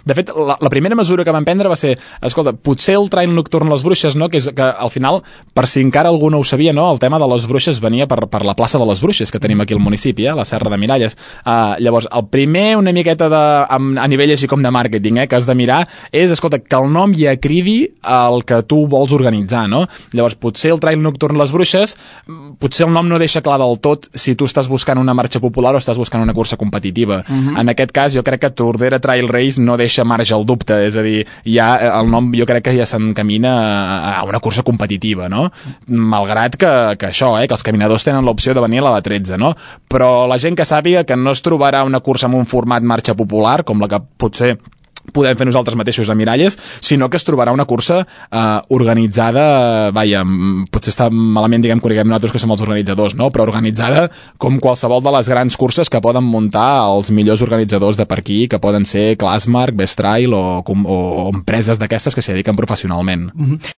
De fet, la primera mesura que vam prendre va ser, escolta, potser el trail nocturn a les Bruixes, no? Que és que al final, per si encara algú no ho sabia, no? El tema de les Bruixes venia per la plaça de les Bruixes que tenim aquí al municipi, la Serra de Miralles. Llavors, el primer una miqueta a nivell així com de màrqueting, que has de mirar és, escolta, que el nom ja cridi el que tu vols organitzar, no? Llavors, potser el trail nocturn a les Bruixes, potser el nom no deixa clar del tot si tu estàs buscant una marxa popular o estàs buscant una cursa competitiva. En aquest cas, jo crec que Tordera Trail Race no deixa marge al dubte, és a dir, ja el nom jo crec que ja s'encamina a una cursa competitiva, no? Malgrat que això, que els caminadors tenen l'opció de venir a la de 13, no? Però la gent que sàpiga que no es trobarà una cursa amb un format marxa popular, com la que potser podem fer nosaltres mateixos a Miralles, sinó que es trobarà una cursa organitzada, potser està malament, diguem, que ho diguem nosaltres que som els organitzadors, no? Però organitzada com qualsevol de les grans curses que poden muntar els millors organitzadors de per aquí, que poden ser Classmark, Best Trail o empreses d'aquestes que s'hi dediquen professionalment.